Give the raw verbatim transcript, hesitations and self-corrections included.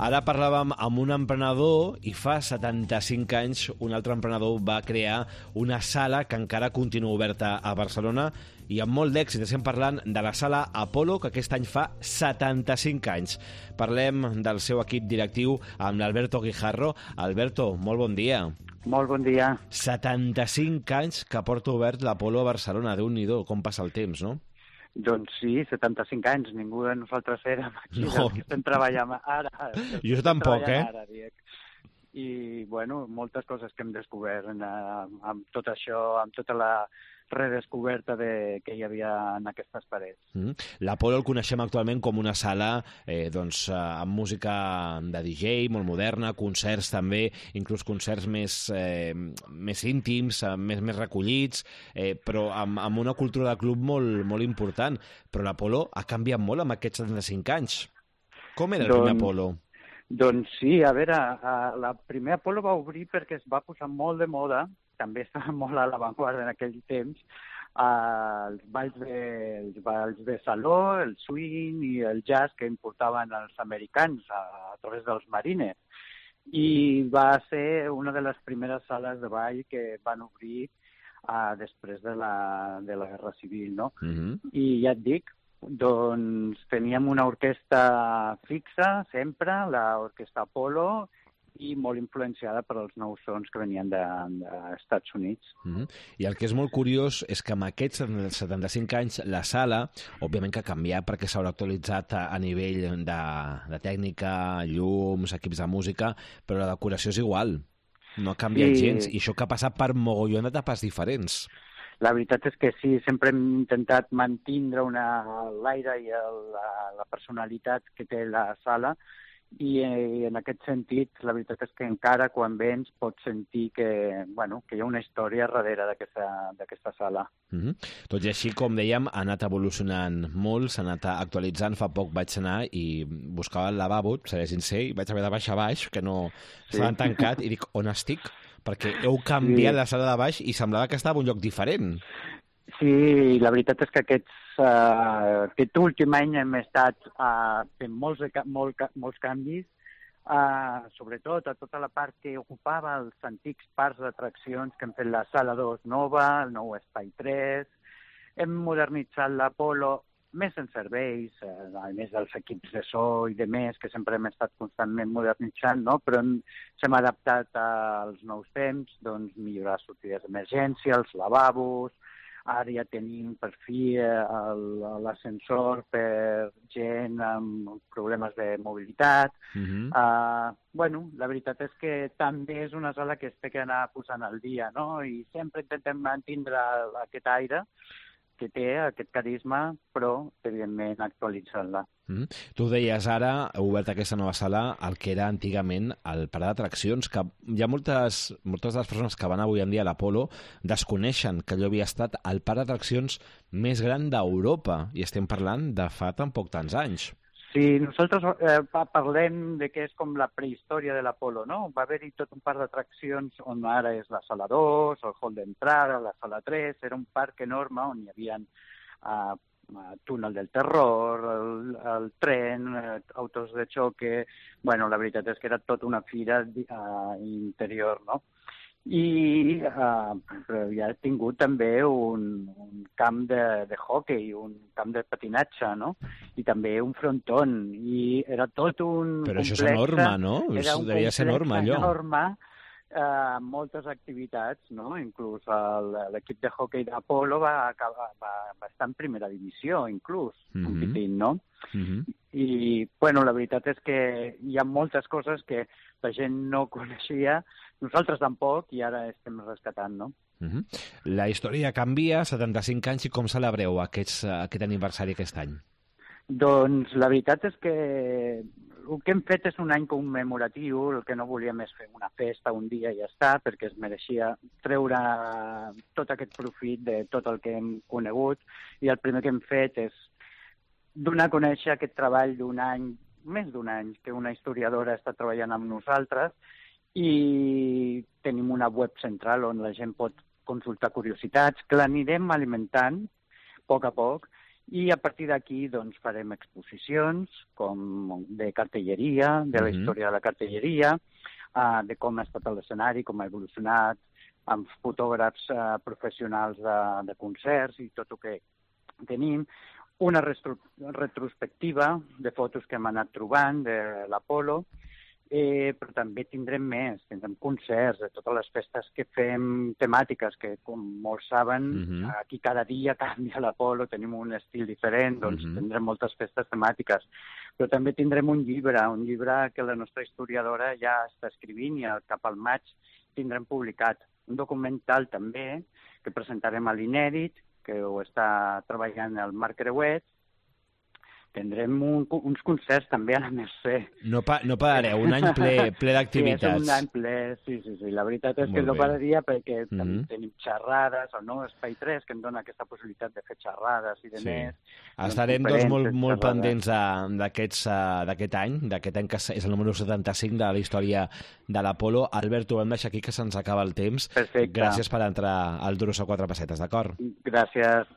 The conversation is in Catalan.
Ara parlàvem amb un emprenedor i fa setanta-cinc anys un altre emprenedor va crear una sala que encara continua oberta a Barcelona i amb molt d'èxit. Estem parlant de la sala Apolo, que aquest any fa setanta-cinc anys. Parlem del seu equip directiu amb l'Alberto Guijarro. Alberto, molt bon dia. Molt bon dia. setanta-cinc anys que porta obert l'Apolo a Barcelona. Déu-n'hi-do, com passa el temps, no? Doncs sí, setanta-cinc anys. Ningú de nosaltres érem aquí, no. que estem treballant ara. Jo tampoc, eh? Ara, I, bueno, moltes coses que hem descobert en, amb tot això, amb tota la redescoberta de, que hi havia en aquestes parets. Mm. L'Apolo el coneixem actualment com una sala eh, doncs, amb música de D J, molt moderna, concerts també, inclús concerts més, eh, més íntims, més, més recollits, eh, però amb, amb una cultura de club molt, molt important. Però l'Apolo ha canviat molt amb aquests setanta-cinc anys. Com era el doncs, primer Apolo? Doncs sí, a veure, la primer Apolo va obrir perquè es va posar molt de moda, també estava molt a l'avantguarda en aquell temps, els balls de, els balls de saló, el swing i el jazz que importaven els americans a, a través dels marines. I va ser una de les primeres sales de ball que van obrir uh, després de la, de la Guerra Civil, no? Mm-hmm. I ja et dic, doncs teníem una orquestra fixa sempre, l'orquestra Apolo, i molt influenciada per als nous sons que venien dels Estats Units. Mm-hmm. I el que és molt curiós és que amb aquests setanta-cinc anys la sala, òbviament que ha canviat perquè s'haurà actualitzat a, a nivell de, de tècnica, llums, equips de música, però la decoració és igual, no ha canviat sí. gens, i això que ha passat per mogollon d'etapes diferents. La veritat és que sí, sempre hem intentat mantindre l'aire i el, la, la personalitat que té la sala, i eh, en aquest sentit la veritat és que encara quan vens pots sentir que, bueno, que hi ha una història darrere d'aquesta sala. Mm-hmm. Tot i així, com dèiem, ha anat evolucionant molt, s'ha anat actualitzant. Fa poc vaig anar i buscava el lavabo, segueix sin ser, i vaig haver de baixar a baix, que no sí. Estaven tancat, i dic, on estic? Perquè heu canviat sí. la sala de baix i semblava que estava en un lloc diferent. Sí, la veritat és que aquests, uh, aquest últim any hem estat uh, fent molts, molt, molts canvis, uh, sobretot a tota la part que ocupava els antics parcs d'atraccions que hem fet la sala dos nova, el nou espai tres, hem modernitzat l'Apolo més en serveis, eh, a més dels equips de so i de més, que sempre hem estat constantment modernitzant, no? Però hem, s'hem adaptat als nous temps, doncs millorar les sortides d'emergència, els lavabos. Ara ja tenim per fi l'ascensor per gent amb problemes de mobilitat. Mm-hmm. uh, bueno, la veritat és que també és una sala que es té que anar posant al dia, no? I sempre intentem mantindre aquest aire que té, aquest carisma, però, evidentment, actualitzant-la. Mm-hmm. Tu deies ara, heu obert aquesta nova sala, el que era antigament el parc d'atraccions, que hi ha moltes, moltes de les persones que van avui en dia a l'Apolo desconeixen que allò havia estat el parc d'atraccions més gran d'Europa, i estem parlant de fa tampoc tants anys. Sí, nosaltres eh, parlem de que és com la prehistòria de l'Apolo, no? Va haver-hi tot un parc d'atraccions on ara és la sala dos, el hall d'entrada, la sala tres, era un parc enorme on hi havia eh, túnel del terror, el, el tren, eh, autos de xoque. Bueno, la veritat és que era tota una fira eh, interior, no? I uh, però ja ha tingut també un, un camp de, de hockey, un camp de patinatge, no? I també un fronton, i era tot un Però complexe. Això és enorme, no? Era un devia ser enorme, allò. enorme, uh, moltes activitats, no? Inclús l'equip de hockey d'Apolo va, acabar, va, va estar en primera divisió, inclús, mm-hmm. competint, no? Mm-hmm. I, bueno, la veritat és que hi ha moltes coses que la gent no coneixia, nosaltres tampoc, i ara estem rescatant, no? Uh-huh. La història canvia, setanta-cinc anys, i com celebreu aquests, aquest aniversari aquest any? Doncs la veritat és que el que hem fet és un any commemoratiu, el que no volíem és fer una festa un dia i ja està, perquè es mereixia treure tot aquest profit de tot el que hem conegut, i el primer que hem fet és donar a conèixer aquest treball d'un any, més d'un any, que una historiadora està treballant amb nosaltres, i tenim una web central on la gent pot consultar curiositats, que l'anirem alimentant a poc a poc, I a partir d'aquí doncs, farem exposicions com de cartelleria, de la Mhm. història de la cartelleria, uh, de com ha estat l'escenari, com ha evolucionat, amb fotògrafs uh, professionals de, de concerts i tot el que tenim. Una retro retrospectiva de fotos que hem anat trobant de l'Apolo, eh, però també tindrem més, tindrem concerts de totes les festes que fem temàtiques, que com molts saben, Mhm. aquí cada dia canvia l'Apolo, tenim un estil diferent, doncs Mhm. tindrem moltes festes temàtiques. Però també tindrem un llibre, un llibre que la nostra historiadora ja està escrivint i al cap al maig tindrem publicat. Un documental també que presentarem a l'Inèdit, que ho està treballant el Marc Creuet. Tindrem un, uns concerts també a la Mercè. No, pa, no parareu, un any ple, ple Sí, d'activitats. és un any ple, sí, sí, sí. La veritat és Molt que no bé. pararia perquè Mhm. també tenim xerrades, el nou Espai tres, que em dona aquesta possibilitat de fer xerrades i de Sí. més. Estarem doncs, molt, molt pendents eh, d'aquests, eh, d'aquest any, d'aquest any que és el número setanta-cinc de la història de l'Apolo. Albert, ho hem deixat aquí, que se'ns acaba el temps. Perfecte. Gràcies per entrar al Duros a quatre pessetes, d'acord? Gràcies.